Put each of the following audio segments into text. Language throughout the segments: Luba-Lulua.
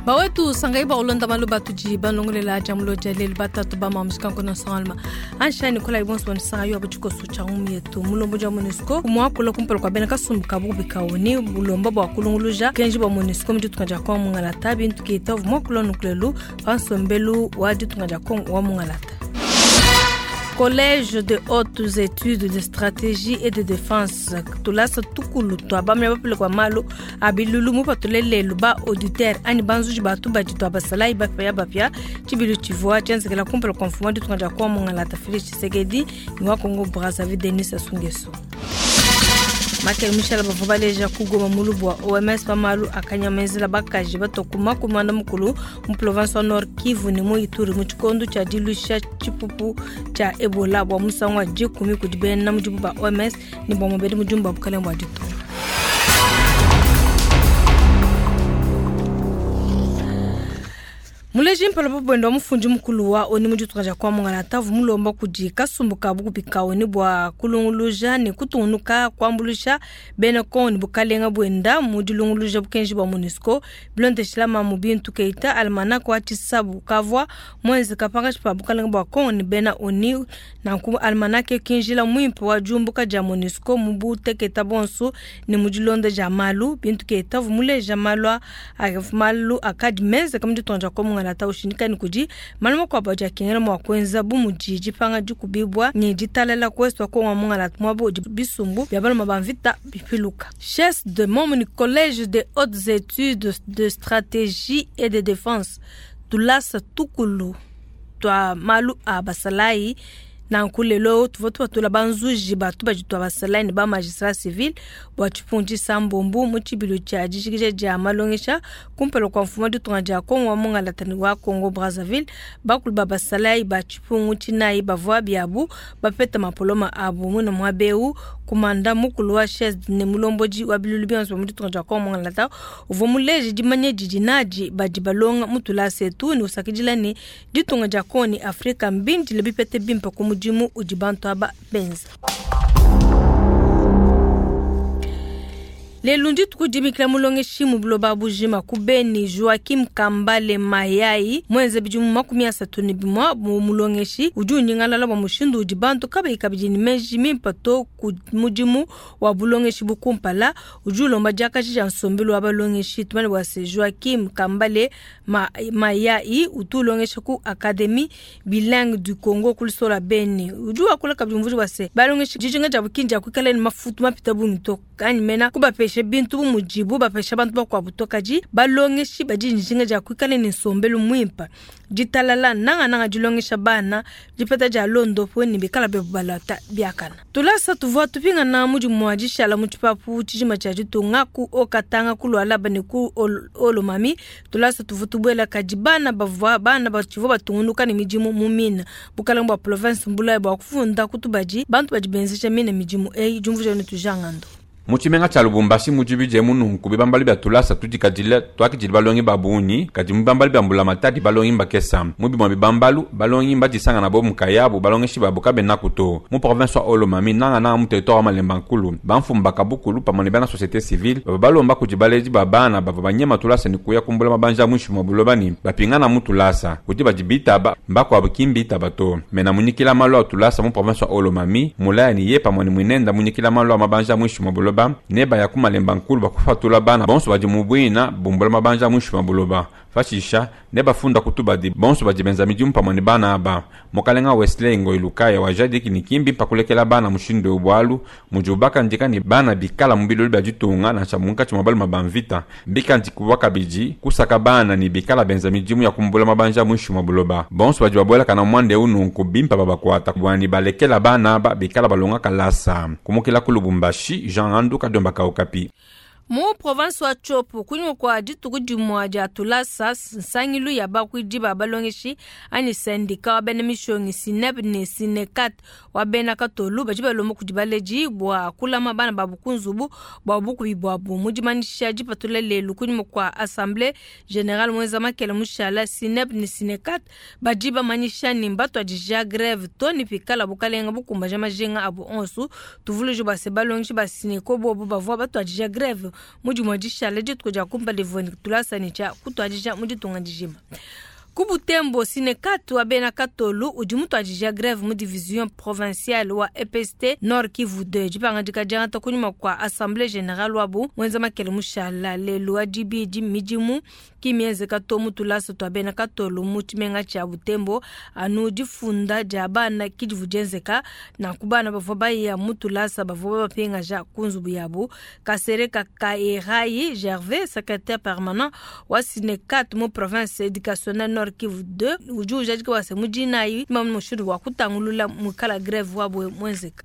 Bawetu sangayi bua kulonda malu batudi balongolela dia mulo dia lelu batatu ba mamu tshikankono nsongaluma ansha nikolayi bonso banisanga yo tshikoso tshia ngumu yetu mulombodi wa MONUSCO muakula kumpala kua bena kasumbu ka bukubi ka ONU bulomba bua kulunguluja bukenji bua MONUSCO mu ditunga dia Kongo mungalata bintu keita uvua muakula nukulelu pa nsombelu wa ditunga dia Kongo wa mungalata. Collège de hautes études de stratégie et de défense tulasa tukulu tua bamya bapele kua malu a bilulu mupatule lelu ba auditeur anyi banzuji ba tubadi tua basalayi bapia bapia tshibilu tshivua tshienzekela kumpala kua mfumu wa ditunga dia Kongo mungalata Felix Tshisekedi ne wa Congo Brazzaville Denis Sassou Nguesso. Makele Michel bavua baleja ku Goma mulubu wa OMS pa malu akanyamenzela bakaji batua ku 40 mu province wa Nord Kivu ne mu Ituri mu tshikondo tshia diluisha tshipupu tshia Ebola bua musangu wa dikumi kudi bena mudimu ba OMS ne bua mubedi mudimu ba bukalenge bua ditunga. Muleji mpala pa buenda wa mufundi mukulu wa ONU mu ditunga dia kwa Mungalata uvua mulomba kudi kasumbu ka bukubi ka ONU bua kulunguluja ne kutungunuka kuambuluisha bena Kongo ne bukalenga buenda mu dilunguluja bukenji bua MONUSCO bilondeshila Mamu Bintu Keita almanach wa tshisabu kavua muenzeka pankatshi pa bukalenga bua Kongo ne bena ONU. Nanku almanach ki njila muimpe wa diumbuka dia MONUSCO mu buteketa bonso ne mu dilonda dia malu. Bintu Keita uvua muleja malu a malu akadi menzeka mu ditunga dia Kongo mungalata ushindika ne kudi malu makuabu adi akengela mua kuenza bu mudi dipanga dikubibua ne ditalala ku ouest wa Kongo wa mungalata muaba udi bisumbu bia baluma ba mvita bipiluka. Chasse de Momni Collège de hautes études de stratégie et de défense tulasa tukulu tua malu a basalayi nanku lelo tuvua tupatula banzuji ba tubadi tua basalayi ne ba magistrat civil bua tshipungu tshisambombo mu tshibilu tshia dijikija dia malongesha kumpala kua mfumu wa ditunga dia Kongo wa mungalata ne wa Congo Brazzaville. Bakulu ba basalayi ba tshipungu tshinayi bavua biabu bapeta mapoloma abu muine muaba eu. Kumanda mukulu wa CHESD ne mulombodi wa bilulu bionso bia mu ditunga dia Kongo mungalata uvua muleje dimanya didi nadi badi balonga mu tulasa etu ne usakidila ne ditunga dia Kongo ne Afrika mbindile bipete bimpe ku mudimu udi bantu aba benza. Lelu ndituku dibikila mulongeshi mu buloba bujima ku Beni Joaquim Kambale Mayai muenze bidimu 31 mu mulongeshi udi unyingalala bua mushindu udi bantu kabayi kabidi ne meji mimpe to ku mudimu wa bulongeshi bu kumpala. Udi ulomba diakaji dia nsombelu wa balongeshi. Tumanye bua se Joaquim Kambale Mayai utu ulongesha ku Academie Bilingue du Congo ku Lusola Beni. Udi wakula kabidi umvuija bua se balongeshi dijinga dia bukindi dia kuikala ne mafutu mapita bungi to anyi mena kubapesha bintu bu mudibu bapesha bantu bakuabu to, kadi balongeshi badi ne dijinga dia kuikala ne nsombelu muimpe, ditalala, nangananga dilongesha bana dipeta dia londopu ne bikala bebu balata biakana. Tulasa tuvua tupingana mudimu wa dishala mu tshipapu tshijima tshia ditunga ku Haut-Katanga, ku Lualaba ne ku Haut-Lomami. Tulasa tuvua tubuela kadi bana bavua bana batshivua batungunuka ne midimu mu mine. Bukalenge bua province mbulaye bua kufunda ku tubadi bantu badi benzeja mine midimu eyi. Diumvuija ne tujangando. Mu tshimenga tshia Lubumbashi mudi bidiemu nunku bibambalu bia tulasa tudikadile tuakidile balongi ba bungi, kadi mu bibambalu bia mbulamatadi balongi mbakesa. Mu bimue bibambalu, balongi mbadisangana bobu nkayabu, balongeshi babu kabenaku to. Mu province wa Haut-Lomami, nangananga mu territoire wa Malemba Nkulu, bamfumu ba kabukulu pamue ne bena societe civile bavua balomba kudi baledi ba bana bavua banyema tulasa ne kuya kumbula mabanji a muinshi mua buloba ne bapingana mu tulasa. Kudi badi bitaba, mbakuabu ki mbitaba to. Mena munyikila malu a tulasa mu province wa Haut-Lomami, mulaya ne ye pamue ne muinenda munyikila malu a mabanji a muinshi mua buloba ne baya ku Malemba Nkulu bua kupatula bana bonso badi mu buina bumbula mabanji a muinshi mua buloba. Pashisha, ne bafunda ku tubadi bonso badi benza midimu pamue ne bana aba. Mukalenga Wesley Ngoyi Lukaya wajadiki ne ki mbimpe kulekela bana mushindu eu bualu mudibu bakandika ne bana bikala mu bilulu bia ditunga nansha munkatshi mua baluma ba mvita. Mbikandikibua kabidi kusaka bana ne bikala benza midimu ya kumbula mabanji a muinshi mua buloba. Bonso badi babuelakana mu muanda eu nunku bimpe babakuata bua ne balekela bana aba bikala balonga kalasa. Kumukila ku Lubumbashi, Jean Ngandu, Kadiomba ka Okapi. Mu province wa Tshopo, kunyima kua dituku dimue dia tulasa, nsangilu ya bakuidi ba balongeshi anyi syndicat wa bena mishonyi SYNEP ne SYNECAT wa bena Katolu badi balomba kudi baledi bua kulama bana babu ku nzubu bua bukubi buabu. Mu dimanyisha dipatula lelu kunyima kua Assemblee Generale muenza makela mushala, SYNEP ne SYNECAT badi bamanyisha ne mbatuadija greve to ne pikala bukalenga bukumbaja majinga abu onso. Tuvuluije bua se balongeshi ba SYNECO bobu bavua batuadija greve. Mu dimue dishala dituku dia kumpala divua ne tulasa ne tshia kutuadija mu ditunga dijima. Ku Butembo, Sinekat wa bena Katolu udi mutuadija greve mu division provinciale wa EPST Nord Kivu 2. Dipangadika diangata kunyima kua assemblée générale wabu muenza makele mushala lelu wa dibidi. Midimu ki mienzeka to mu tulasa tua bena Katolu mu tshimenga tshia Butembo, anu difunda dia bana ki divu dienzeka. Nanku bana bavua baya mu tulasa bavua babapingaja ku nzubu yabu. Kasereka Kaerai Gervais, secrétaire permanent wa Sinekat mu province éducationnelle Nord Kivu 2, udi ujadika bua se mu dinayi mushindu wa kutangulula muikala greve wabo muenzeka.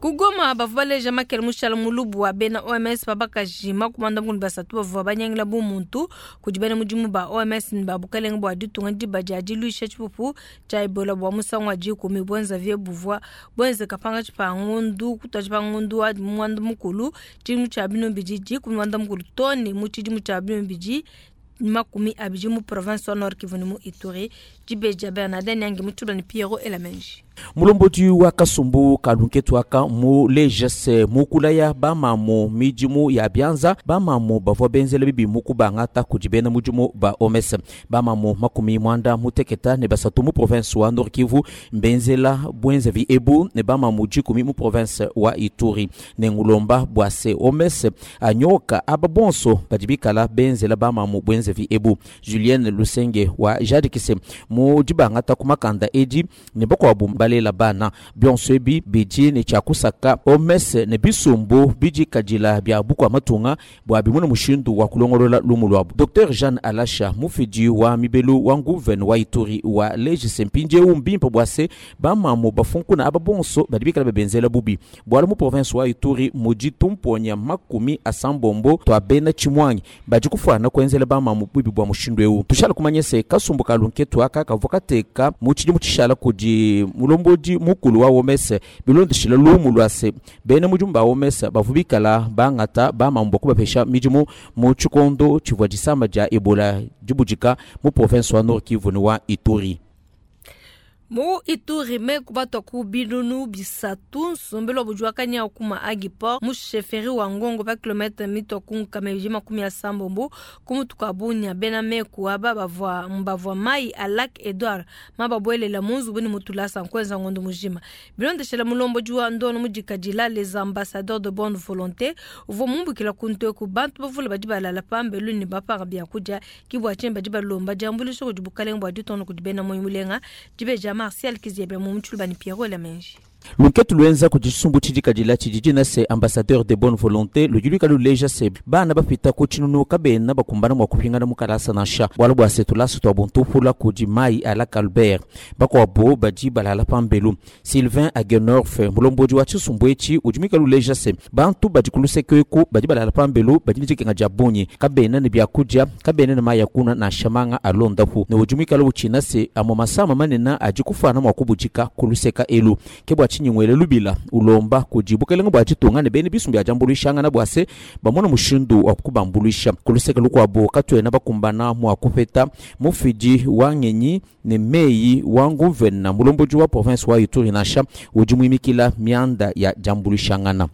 Ku Goma bavua baleja makele mushala mulubu wa bena OMS babakaji 53 bavua banyangila bu muntu kudi bena mudimu ba OMS ne ba bukalenge bua ditunga diba dia diluisha tshipupu tshia Ebola bua musangu wa 10 buenza buvua buenzeka pangatshi pa ngondu kutuaji pa ngondu wa mwanda mukulu tshidimu tshia binu bidi 13 tone mu tshidimu tshia binu bidi 20 mu province wa Nord Kivu mu Ituri. Dibeja Bernardin Nyangi mutula ni Piero Elamenji. Mulombodi wa kasumbu kalunketu aka mu lejese mukulaya bamamu midimu ya bianza bamamu bavua benzela bibi mukubangata kudi bena mudimu ba OMS bamamu 93 mu province wa Nord Kivu mbenzela bwenzevi ebu ne bamamu 10 mu province wa Ituri ne ngulomba bwase OMS anyoka aba bonso badibikala benzela bamamu bwenzevi ebu. Julienne Lusenge wa Jadikise mu dibangata kumakanda edi ne bakwabu balela bana bionso ebi bidi ne tshiakusaka OMS ne bisumbu bidi kadila bia bukua matunga bua bimuna mushindu wa kulongolola lumu lwabu. Dr Jeanne Alasha mufidi wa mibelu wa nguvene wa Ituri wa legise mpindieu mbimpe bua se bamamu bafunkuna aba bonso badi bikala bebenzela bubi bwala mu province wa Ituri mudi tumponya 80 twa bena tshimwangi badi kufuana kuenzela bamamu bubi bua mushindu eu. Tushala kumanya se kasumbu kalunketu aka kavua kateka mu tshidimu tshishala kudi mulombodi mukulu wa OMS bilondeshila lumu lwa se bena mudimu ba OMS bavua bikala bangata bamamu bua kubapesha midimu mu tshikondo tshivua disama dia Ebola dibudika mu province wa Nord Kivu ne wa Ituri. Mu Ituri meku batwa ku binunu bisatu nsombelo bujuakanya kuma agiport mu chefferie wa Ngongo pa kilomètre mitwa ku nkameji 70 kumutuka bunya bena meku aba bavua mbavua mai a lac Edouard mababwelela munzu buni mutulasa nkwenza ngondo mujima bilondeshela mulombo juwa ndono mudikadila les ambassadeurs de bonne volonté uvo mumbukila kuntwe ku bantu bavula badi balala pambelu ni bapanga bya kuja kibwa chemba di balomba jambulisho kudi bukalenge bwa ditono kudi bena moyo mulenga dibeja Martial Kiziebe mu mutshulubani Pierrot Lamenji. Lunketu lwenza kudi tshisumbu tshidikadila tshidi na se ambassadeur de bonne volonté ludi luleja se bana bapita ku tshinunu kabena bakumbana mua kupingana mu kalasa nansha bualu bua se tulasa tua buntupula kudi mai a lac Albert bakuabo badi balala pambelu. Sylvain Agenorf mulombodi wa tshisumbu etshi udi muikale uleja se bantu badi ku luseke eku badi balala pambelu badi ne dikenga dia bungi kabena ne biakudia kabena ne mai ya kunua nansha manga alondapu ne udi muikale utshina se amue masama manene adi kufuana mua kubudika ku luseka elu ke bua tshinyingwele lubila ulomba kudi bukelenge bua ditunga ne bene bisumbu bia diambuluishangana bua se bamona mushindu wa kubambuluisha ku luseke lukuabu katuena bakumbana mua kupeta mufidi wa ngenyi ne meyi wa nguvena mulombodi wa province wa Ituri nansha udi muimikila mianda ya diambuluishangana.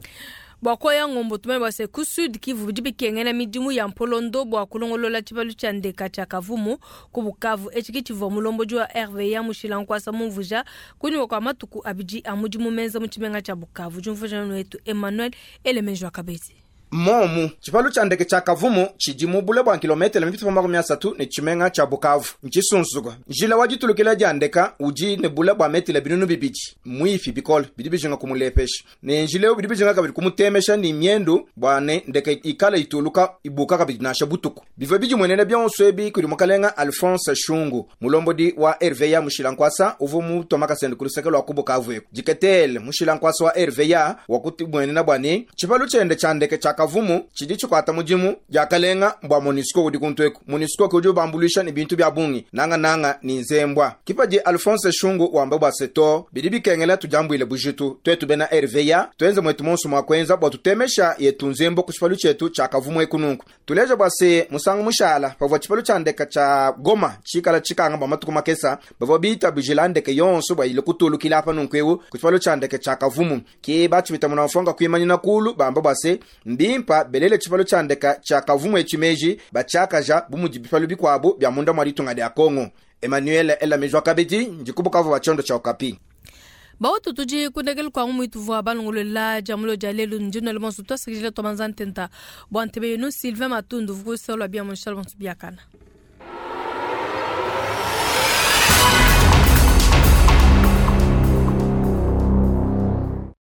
Bua koya ngombo tumene bua se ku Sud Kivu bidi bikengela midimu ya mpolondo bua kulongolola tshibalu tshia ndeka tshia Kavumu ku Bukavu etshi ki tshivua mulombodi wa RVA mushila nkuasa mumvuja kunyima kua matuku abidi a mudimu menza mu tshimenga tshia Bukavu. Diumvuja wetu Emmanuel Elemenjo Akabeti. Momu tshipalu tshia ndeke tshia Kavumu tshidi mu bule bua kilometele 330 ne tshimenga tshia Bukavu ntshisunsuka. Njila wa ditulukila dia ndeka udi ne bule bua metele 2,000 mwifi bikole bidi bijinga kumulepesha ne njila eu bidi bijinga kabidi kumutemesha ni miendu bua ne ndeke ikala ituluka ibuka kabidi nansha butuku. Bivua bidimuenene bionso ebi kudi mukalenga Alphonse Shungu mulombodi wa RVA mushila nkwasa uvua mutoma kasende ku luseke lua ku Bukavu eku diketele mushila nkwasa wa RVA wakutimwenena bua ne tshipalu tshiende tshia ndeke tshia Kavumu tshidi tshikuata mudimu diakalenga bua MONUSCO udi kuntu eku. MONUSCO ke udi ubambuluisha ne bintu bia bungi, nangananga ne nzembua. Ke padi Alphonse Shungu wamba bua se, Too, bidi bikengela tudiambuile bujitu tuetu bena RVA, tuenze muetu muonso mua kuenza bua tutemesha yetu nzembo ku tshipalu tshietu tshia Kavumu eku nunku. Tuleja bua se, musangu mushala pavua tshipalu tshia ndeka tshia Goma tshikala tshikanga bua matuku makesa, bavua bitabujila ndeke yonso bua ile kutulukila apa nunku eu ku tshipalu tshia ndeke tshia Kavumu. Ke batshipita munamfuanka kuimanyina kulu bamba bua se, mbimpa belele tshipalu tshia ndeka tshia Kavumu etshi meji, batshiakaja bu mudi bipalu bikuabu bia munda mua ditunga dia Congo. Emmanuel Elamijwa kabidi ndi ku Bukavu wa tshiondo tshia Okapi. Bautu tudi kundekelu kua ngumu ituvua balongolola dia mulo dia lelu ndi nuele bonso tuasakidila tuabanza ntenta bua ntebe yenu Sylvain Matundu vukusa lua bia munshala bonso biakana.